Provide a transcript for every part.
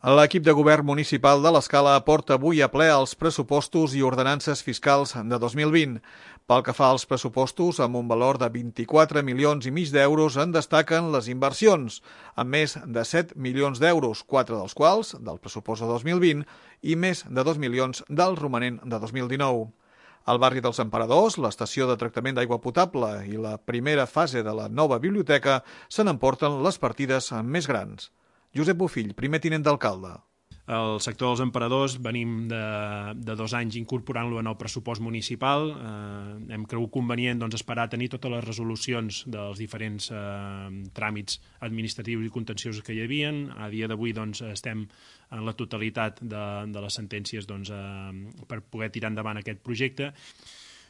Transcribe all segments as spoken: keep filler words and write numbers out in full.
L'equip de govern municipal de l'Escala porta avui a ple els pressupostos i ordenances fiscals de dos mil vint. Pel que fa als pressupostos, amb un valor de vint-i-quatre milions i mig d'euros en destaquen les inversions, amb més de set milions d'euros, quatre dels quals del pressupost de dos mil vint i més de dos milions del romanent de dos mil dinou. Al barri dels Emperadors, l'estació de tractament d'aigua potable i la primera fase de la nova biblioteca se n'emporten les partides més grans. Josep Bofill, primer tinent d'alcalde. El sector dels Emperadors venim de, de dos anys incorporant-lo en el pressupost municipal. Eh, hem cregut convenient doncs, esperar a tenir totes les resolucions dels diferents eh, tràmits administratius i contenciosos que hi havia. A dia d'avui doncs, estem en la totalitat de, de les sentències doncs, eh, per poder tirar endavant aquest projecte.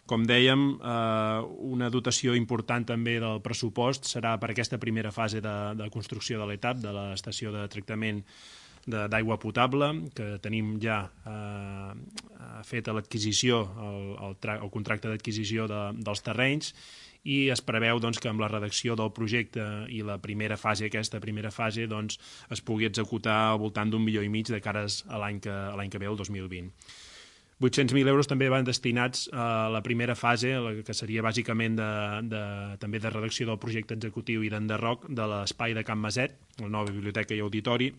Com dèiem, eh, una dotació important també del pressupost serà per aquesta primera fase de, de construcció de l'etap de l'estació de tractament d'aigua potable, que tenim ja eh, feta l'adquisició, el, el, el contracte d'adquisició de, dels terrenys, i es preveu doncs, que amb la redacció del projecte i la primera fase, aquesta primera fase, doncs, es pugui executar al voltant d'un milió i mig de cares a l'any que, a l'any que ve, el dos mil vint. vuit-cents mil euros també van destinats a la primera fase, que seria bàsicament de, de, també de redacció del projecte executiu i d'enderroc de l'espai de Can Maset, la nova biblioteca i auditori.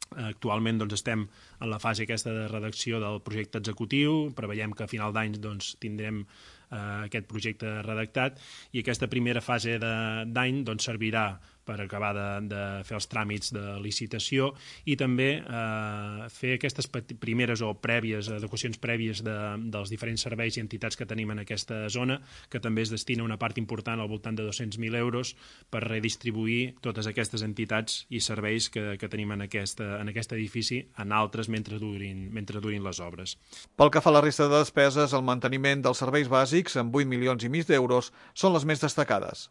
Actualment doncs, estem en la fase aquesta de redacció del projecte executiu, preveiem que a final d'any doncs, tindrem eh, aquest projecte redactat i aquesta primera fase d'any doncs, servirà per acabar de, de fer els tràmits de licitació i també eh, fer aquestes primeres o prèvies, adequacions prèvies de, dels diferents serveis i entitats que tenim en aquesta zona, que també es destina una part important al voltant de dos-cents mil euros per redistribuir totes aquestes entitats i serveis que, que tenim en, aquesta, en aquest edifici en altres mentre durin, mentre durin les obres. Pel que fa a la resta de despeses, el manteniment dels serveis bàsics, amb vuit milions i mig d'euros, són les més destacades.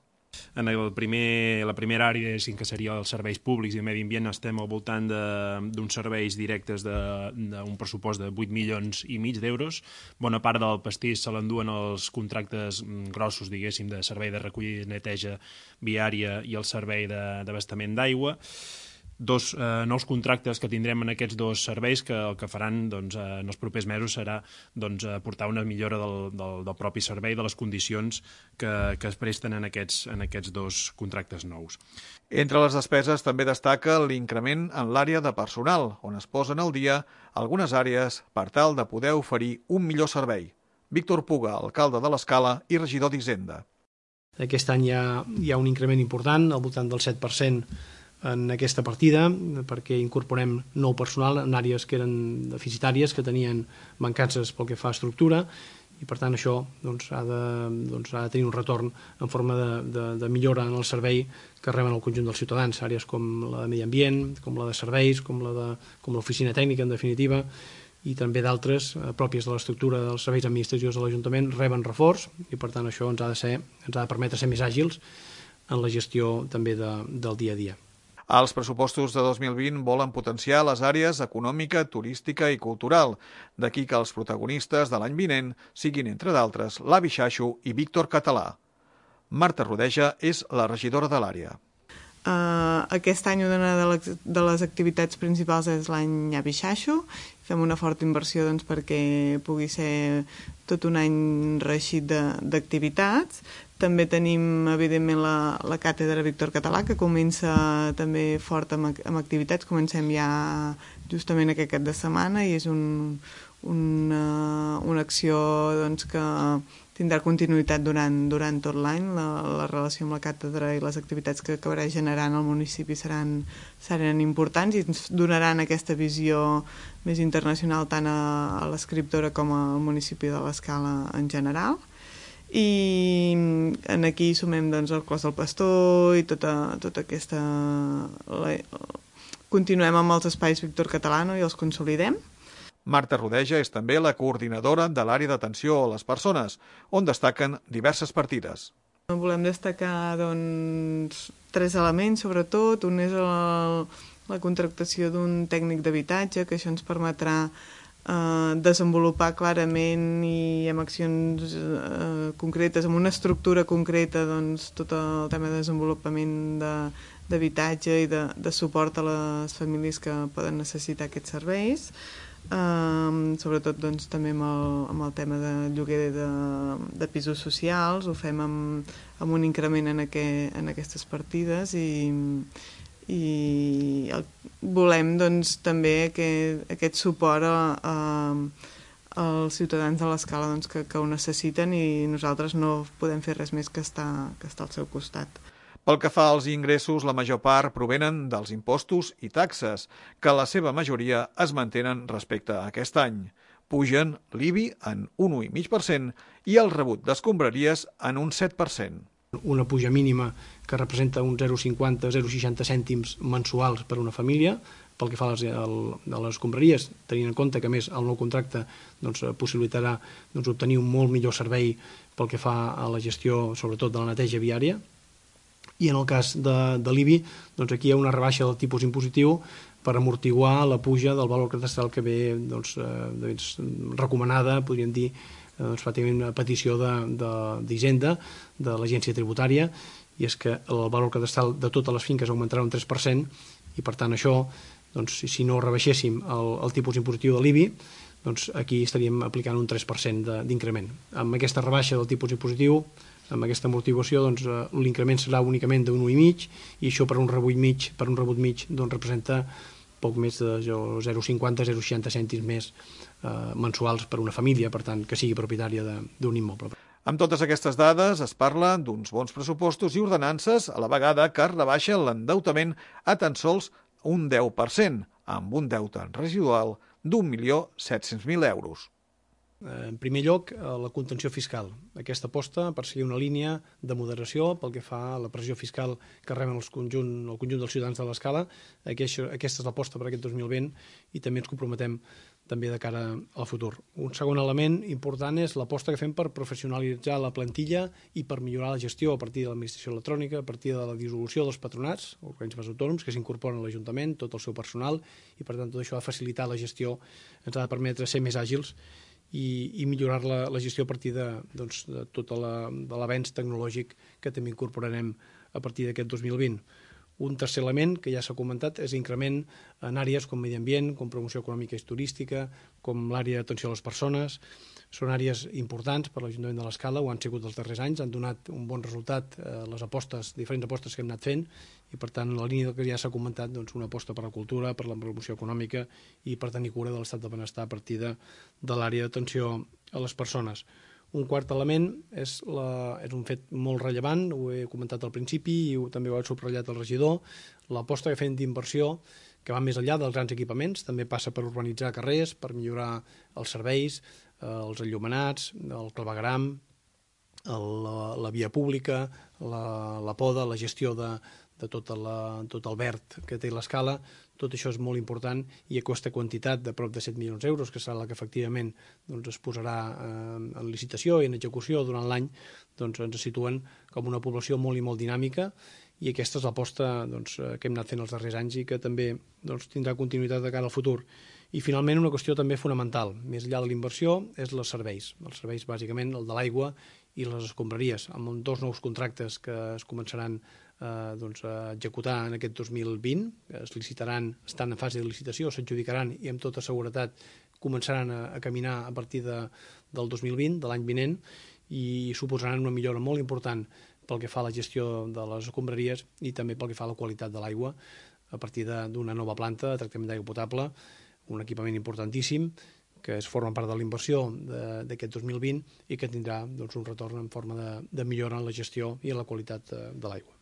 En el primer, la primera àrea, que seria els serveis públics i el medi ambient, estem al voltant d'uns serveis directes d'un pressupost de vuit milions i mig d'euros. Bona part del pastís se l'enduen els contractes grossos, diguéssim, de servei de recollida i neteja viària i el servei d'abastament d'aigua. Dos eh, nous contractes que tindrem en aquests dos serveis que el que faran doncs, eh, en els propers mesos serà doncs, aportar una millora del, del, del propi servei, de les condicions que, que es presten en aquests, en aquests dos contractes nous. Entre les despeses també destaca l'increment en l'àrea de personal, on es posen al dia algunes àrees per tal de poder oferir un millor servei. Víctor Puga, alcalde de l'Escala i regidor d'Hisenda. Aquest any hi ha, hi ha un increment important, al voltant del set per cent en aquesta partida, perquè incorporem nou personal en àrees que eren deficitàries, que tenien mancances pel que fa a estructura, i per tant això doncs, ha, de, doncs, ha de tenir un retorn en forma de, de, de millora en el servei que reben el conjunt dels ciutadans, àrees com la de medi ambient, com la de serveis, com la de, com l'oficina tècnica, en definitiva, i també d'altres eh, pròpies de l'estructura dels serveis administratius de l'Ajuntament reben reforç, i per tant això ens ha de, ser, ens ha de permetre ser més àgils en la gestió també de, del dia a dia. Els pressupostos de dos mil vint volen potenciar les àrees econòmica, turística i cultural. D'aquí que els protagonistes de l'any vinent siguin, entre d'altres, l'Avi Xaxo i Víctor Català. Marta Rodeja és la regidora de l'àrea. Uh, aquest any una de les, de les activitats principals és l'any Avi Xaxo. Fem una forta inversió doncs, perquè pugui ser tot un any reeixit d'activitats. També tenim, evidentment, la, la càtedra Víctor Català, que comença també fort amb, amb activitats. Comencem ja justament aquest cap de setmana i és un, una, una acció doncs, que tindrà continuïtat durant, durant tot l'any. La, la relació amb la càtedra i les activitats que acabarà generant al municipi seran, seran importants i ens donaran aquesta visió més internacional tant a, a l'escriptora com al municipi de l'Escala en general. I en aquí sumem doncs, el Clos del Pastor i tota, tota aquesta... La... Continuem amb els espais Víctor Català i els consolidem. Marta Rodeja és també la coordinadora de l'àrea d'atenció a les persones, on destaquen diverses partides. Volem destacar doncs, tres elements, sobretot. Un és el, la contractació d'un tècnic d'habitatge, que això ens permetrà eh, desenvolupar clarament i amb accions eh, concretes, amb una estructura concreta, doncs, tot el tema de desenvolupament de, d'habitatge i de, de suport a les famílies que poden necessitar aquests serveis. Um, sobretot doncs, també amb el, amb el tema de lloguer de, de pisos socials, ho fem amb, amb un increment en, aqu en aquestes partides i, i el, volem doncs, també aquest, aquest suport a, a, als ciutadans de l'Escala doncs, que, que ho necessiten i nosaltres no podem fer res més que estar, que estar al seu costat. Pel que fa als ingressos, la major part provenen dels impostos i taxes, que la seva majoria es mantenen respecte a aquest any. Pugen l'I B I en un u coma cinc per cent i el rebut d'escombraries en un set per cent. Una puja mínima que representa uns zero coma cinquanta a zero coma seixanta cèntims mensuals per una família, pel que fa a les, a les escombraries, tenint en compte que, a més, el nou contracte doncs, possibilitarà doncs, obtenir un molt millor servei pel que fa a la gestió, sobretot de la neteja viària. I en el cas de, de l'I B I, doncs aquí hi ha una rebaixa del tipus impositiu per amortiguar la puja del valor catastral que ve doncs, eh, recomanada, podríem dir, doncs, pràcticament a petició d'Hisenda, de, de, de l'Agència Tributària, i és que el valor catastral de totes les finques augmentarà un tres per cent, i per tant això, doncs, si no rebaixéssim el, el tipus impositiu de l'I B I, doncs aquí estaríem aplicant un tres per cent d'increment. Amb aquesta rebaixa del tipus impositiu, amb aquesta amortiguació, doncs, l'increment serà únicament d'un u coma cinc i això per un rebut mig, per un rebut mig doncs, representa poc més de zero coma cinquanta a zero coma seixanta cèntims més eh, mensuals per una família, per tant, que sigui propietària d'un immoble. Amb totes aquestes dades es parla d'uns bons pressupostos i ordenances a la vegada que es rebaixa l'endeutament a tan sols un deu per cent, amb un deute residual d'un milió set-cents mil euros. En primer lloc, la contenció fiscal. Aquesta aposta per seguir una línia de moderació pel que fa a la pressió fiscal que reben el conjunt, el conjunt dels ciutadans de l'Escala. Aquesta és l'aposta per aquest dos mil vint i també ens comprometem també de cara al futur. Un segon element important és l'aposta que fem per professionalitzar la plantilla i per millorar la gestió a partir de l'administració electrònica, a partir de la dissolució dels patronats, organismes autònoms que s'incorporen a l'Ajuntament, tot el seu personal, i per tant tot això ha de facilitar la gestió, ens ha de permetre ser més àgils i, i millorar la, la gestió a partir de, doncs, de tot l'avenç tecnològic que també incorporarem a partir d'aquest dos mil vint. Un tercer element, que ja s'ha comentat, és l'increment en àrees com medi ambient, com promoció econòmica i turística, com l'àrea d'atenció a les persones. Són àrees importants per l'Ajuntament de l'Escala, ho han sigut els darrers anys, han donat un bon resultat eh, les apostes, diferents apostes que hem anat fent, i per tant, en la línia del que ja s'ha comentat, doncs, una aposta per la cultura, per la promoció econòmica i per tenir cura de l'estat de benestar a partir de, de l'àrea d'atenció a les persones. Un quart element és, la, és un fet molt rellevant, ho he comentat al principi i ho, també ho ha subratllat el regidor, l'aposta que fem d'inversió que va més enllà dels grans equipaments, també passa per urbanitzar carrers, per millorar els serveis, eh, els enllumenats, el clavegueram, el, la, la via pública, la, la poda, la gestió de, de tot, la, tot el verd que té l'Escala. Tot això és molt important i aquesta quantitat de prop de set milions d'euros, que serà la que efectivament doncs, es posarà eh, en licitació i en execució durant l'any, doncs, ens situen com una població molt i molt dinàmica i aquesta és l'aposta doncs, que hem anat fent els darrers anys i que també doncs, tindrà continuïtat de cara al futur. I finalment una qüestió també fonamental, més enllà de la inversió, és els serveis. Els serveis bàsicament el de l'aigua i les escombraries, amb dos nous contractes que es començaran Eh, doncs, a executar en aquest dos mil vint, es licitaran, estan en fase de licitació, s'adjudicaran i amb tota seguretat començaran a, a caminar a partir de, del dos mil vint, de l'any vinent, i suposaran una millora molt important pel que fa a la gestió de les escombraries i també pel que fa a la qualitat de l'aigua a partir d'una nova planta de tractament d'aigua potable, un equipament importantíssim que es forma part de la inversió d'aquest dos mil vint i que tindrà doncs, un retorn en forma de, de millora en la gestió i en la qualitat de, de l'aigua.